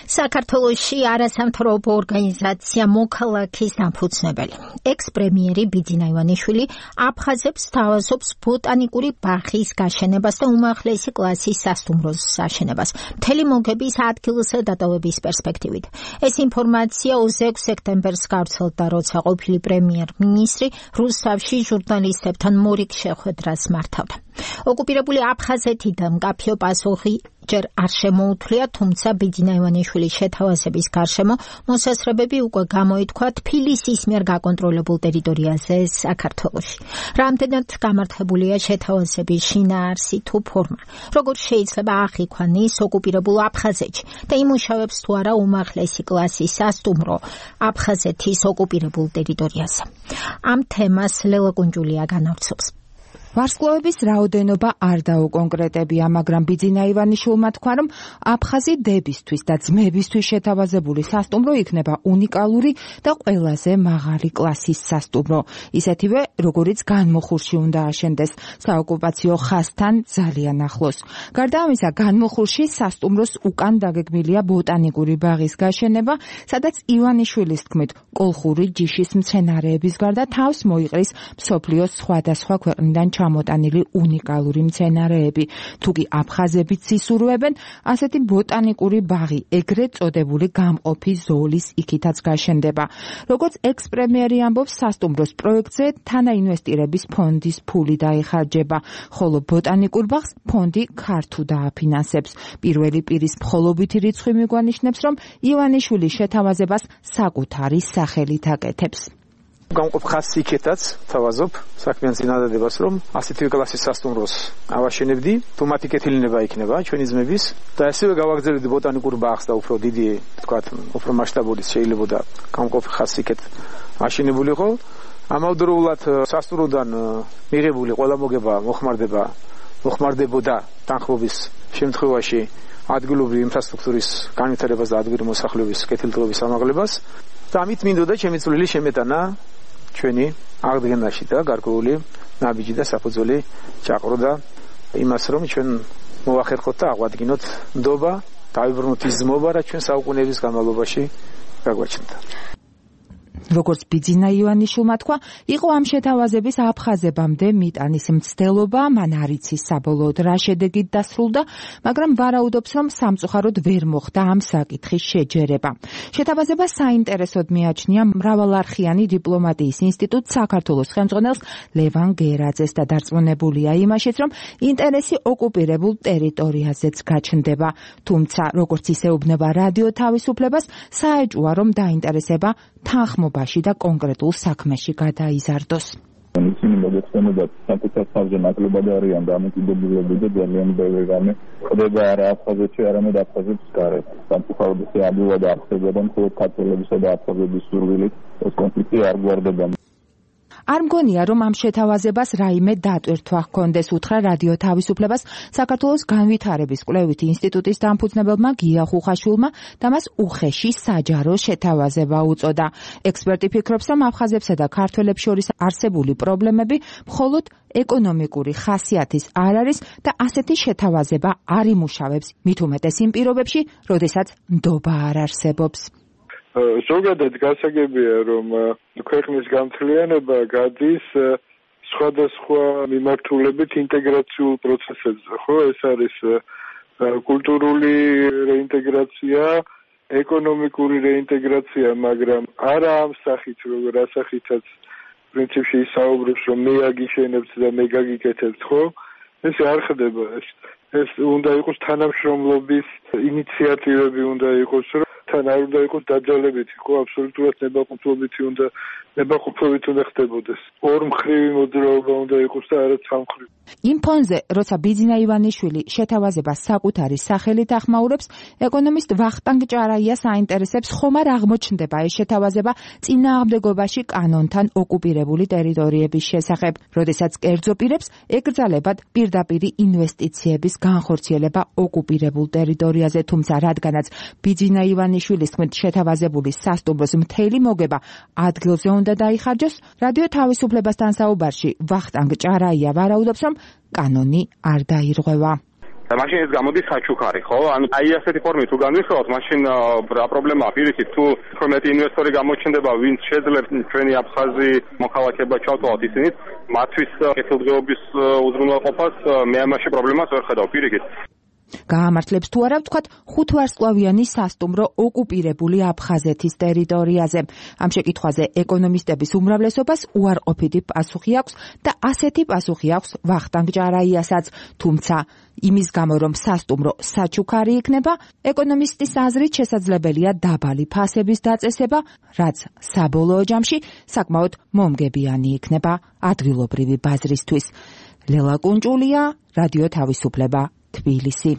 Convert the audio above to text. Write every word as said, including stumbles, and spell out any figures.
საქართველოში არასამთავრობო ორგანიზაცია მოქალაქის დამფუძნებელი ექს-პრემიერი ბიძინა ივანიშვილი აფხაზებს სთავაზობს ბოტანიკური ბაღის გაშენებას და უმაღლესი კლასის სასტუმროს აშენებას მთელი მოგების ადგილზე დატოვების პერსპექტივით. ეს ინფორმაცია ოცდაექვსი სექტემბერს გავრცელდა, როცა ყოფილი პრემიერ-მინისტრი რუსთავში ჟურნალისტებთან მორიგ შეხვედრას მართავდა. ოკუპირებული აფხაზეთიდან მკაფიო პასუხი ჯერ არ შემოუთვლია, თუმცა ბიძინა ივანიშვილის შეთავაზების გარშემო მოსაზრებები უკვე გამოითქვა თბილისის მიერ გაკონტროლებულ ტერიტორიაზე საქართველოში. რამდენად გამართლებულია შეთავაზების შინაარსი თუ ფორმა, როგორ შეიძლება აღიქვანეს ოკუპირებულ აფხაზეთში და იმუშავებს თუ არა უმაღლესი კლასის სასტუმრო აფხაზეთის ოკუპირებულ ტერიტორიაზე. ამ თემას ლელა კუნჯულია განავრცობს. ვარსკვლავების რაოდენობა არ დაუკონკრეტებია, მაგრამ ბიძინა ივანიშვილმა თქვა, რომ აფხაზი დებისთვის და ძმებისთვის შეთავაზებული სასტუმრო იქნება უნიკალური და ყველაზე მაღალი კლასის სასტუმრო, ისეთივე, როგორიც განმოხურში უნდა აშენდეს საოკუპაციო ხაზთან ძალიან ახლოს. გარდა ამისა, განმოხურში სასტუმროს უკან დაგეგმილია ბოტანიკური ბაღის გაშენება, სადაც ივანიშვილის თქმით, კოლხური ჯიშის მცენარეების გარდა თავს მოიყრის მსოფლიოს სხვადასხვა ქვეყნიდან ჩამოტანილი უნიკალური მცენარეები. თუკი აფხაზებიც ისურვებენ, ასეთი ბოტანიკური ბაღი, ეგრეთ წოდებული გამყოფი ზოლის იქითაც გაშენდება. როგორც ექს-პრემიერი ამბობს, სასტუმროს პროექტზე თანაინვესტირების ფონდის ფული დაიხარჯება, ხოლო ბოტანიკურ ბაღს ფონდი ქართუ დააფინანსებს. პირველი პირის მხოლობითი რიცხვი მიგვანიშნებს, რომ ივანიშვილის შეთავაზებას საკუთარი სახელით აკეთებს. გამყოფ ხაზს იქეთაც თავაზობ საქმიან წინადადებას, რომ ასეთი კლასის სასტუმროს ავაშენებდი, თუ მათი კეთილინება იქნება ჩვენი ძმების და ასევე გავაგზავნებდი ბოტანიკურ ბაღს და უფრო დიდი, თქვათ, უფრო მასშტაბური შეიძლებოდა გამყოფ ხაზს იქეთ აშენებულიყო. ამავდროულად სასტუმროდან მიღებული ყველა მოგება მოხმარდება მოხმარდებოდა თანხმობის შემთხვევაში ადგილობრივი ინფრასტრუქტურის განვითარებას და ადგილობრივი მოსახლეობის კეთილდღეობის ამაღლებას და ამით მინდოდა ჩემი წვლილი შემეტანა ჩვენი აღდგენაში და გარკვეული ნაბიჯი და საფუძველი ჩაყროდა იმას, რომ ჩვენ მოვახერხოთ და აღვადგინოთ ნდობა, დავიბრუნოთ ის ძმობა, რაც ჩვენ საუკუნეების განმავლობაში გაგვაჩნდა. როგორც ბიძინა ივანიშვილმა თქვა, იყო ამ შეთავაზების აფხაზებამდე მიტანის მცდელობა, მან არ იცის საბოლოოდ რა შედეგით დასრულდა, მაგრამ ვარაუდობს, რომ სამწუხაროდ ვერ მოხდა ამ საკითხის შეჯერება. შეთავაზებას საინტერესოდ მიაჩნია მრავალარხიანი დიპლომატიის ინსტიტუტ საქართველოს ხელმძღვანელს ლევან გერაძეს და დარწმუნებულია იმაშიც, რომ ინტერესი ოკუპირებულ ტერიტორიაზეც გაჩნდება. თუმცა, როგორც ისეუბნება რადიო თავისუფლებას, საეჭვოა, რომ დაინტერესება თანხმობაში და კონკრეტულ საქმეში გადაიზარდოს. ისინი მოგეხსენებათ საკუთარ თავზე ნაკლებად არიან დამოკიდებულები და ძალიან ბევრი რამე ხდება არა აფხაზეთში, არამედ აფხაზებს გარეთ. სამწუხაროდ ეს ადვილად არ ხდება და მხოლოდ ქართველებისა და აფხაზების სურვილით ეს კონფლიქტი არ გვარდება. არ მგონია, რომ ამ შეთავაზებას რაიმე დატვირთვა ჰქონდეს, უთხრა რადიო თავისუფლებას საქართველოს განვითარების კვლევითი ინსტიტუტის დამფუძნებელმა გია ხუხაშვილმა და მას უხეში საჯარო შეთავაზება უწოდა. ექსპერტი ფიქრობს, რომ აფხაზებსა და ქართველებს შორის არსებული პრობლემები მხოლოდ ეკონომიკური ხასიათის არ არის და ასეთი შეთავაზება არ იმუშავებს, მით უმეტეს იმ პირობებში, როდესაც ნდობა არ არსებობს. ზოგადად გასაგებია, რომ ქვეყნის გამთლიანება გადის სხვადასხვა მიმართულებით ინტეგრაციულ პროცესებზე, ხო? ეს არის კულტურული რეინტეგრაცია, ეკონომიკური რეინტეგრაცია, მაგრამ არა ამ სახით, როგორ ასახითაც პრინციპში ისაუბრებს, რომ მე აგიშენებთ და მე გაგიკეთებთ, ხო? ეს არ ხდება ეს. ეს უნდა იყოს თანამშრომლობის ინიციატივები უნდა იყოს, რომ თან არ უნდა იყოს დაძალებითი, ხო, აბსოლუტურად ნებაყოფლობითი უნდა ნებაყოფლობით უნდა ხდებოდეს. ორმხრივი მოძრაობა უნდა იყოს და არა სამხრივი. იმ ფონზე, როცა ბიძინა ივანიშვილი შეთავაზებას საკუთარი სახელით ახმაურებს, ეკონომისტ ვახტანგ ჭარაიას აინტერესებს, ხომ არ აღმოჩნდება ეს შეთავაზება წინააღმდეგობაში კანონთან ოკუპირებული ტერიტორიების შესახებ, როდესაც კერძო პირებს ეკრძალებათ პირდაპირი ინვესტიციების განხორციელება ოკუპირებულ ტერიტორიაზე, თუმცა რადგანაც ბიძინა ივანიშვილის თქმით შეთავაზებული სასტუმროს მთელი მოგება ადგილზე უნდა დაიხარჯოს, რადიო თავისუფლებასთან საუბარში ვახტანგ ჭარაია ვარაუდობს, რომ კანონი არ დაირღვევა. მაშინ ეს გამოდის საჩუქარი, ხო? ანუ აი ასეთი ფორმით თუ განვიხილავთ, მაშინ რა პრობლემაა პირიქით, თუ უფრო მეტი ინვესტორი გამოჩნდება, ვინც შეძლებს ჩვენი აფხაზი მოქალაქეობა ჩავთვალოთ ისინით, მათთვის კეთილდღეობის უზრუნველყოფას მე ამაში პრობლემას ვერ ხედავ პირიქით. გაამართლებს თუ არა ვთქვათ ხუთვარსკვლავიანი სასტუმრო ოკუპირებული აფხაზეთის ტერიტორიაზე. ამ შეკითხვაზე ეკონომისტების უმრავლესობას უარყოფითი პასუხი აქვს და ასეთი პასუხი აქვს ვახტანგ ჭარაიასაც, თუმცა იმის გამო რომ სასტუმრო საჩუქარი იქნება, ეკონომისტის აზრით შესაძლებელია დაბალი ფასების დაწესება, რაც საბოლოო ჯამში საკმაოდ მომგებიანი იქნება ადგილობრივი ბაზრისთვის. ლელა კუნჭულია, რადიო თავისუფლება, თბილისი.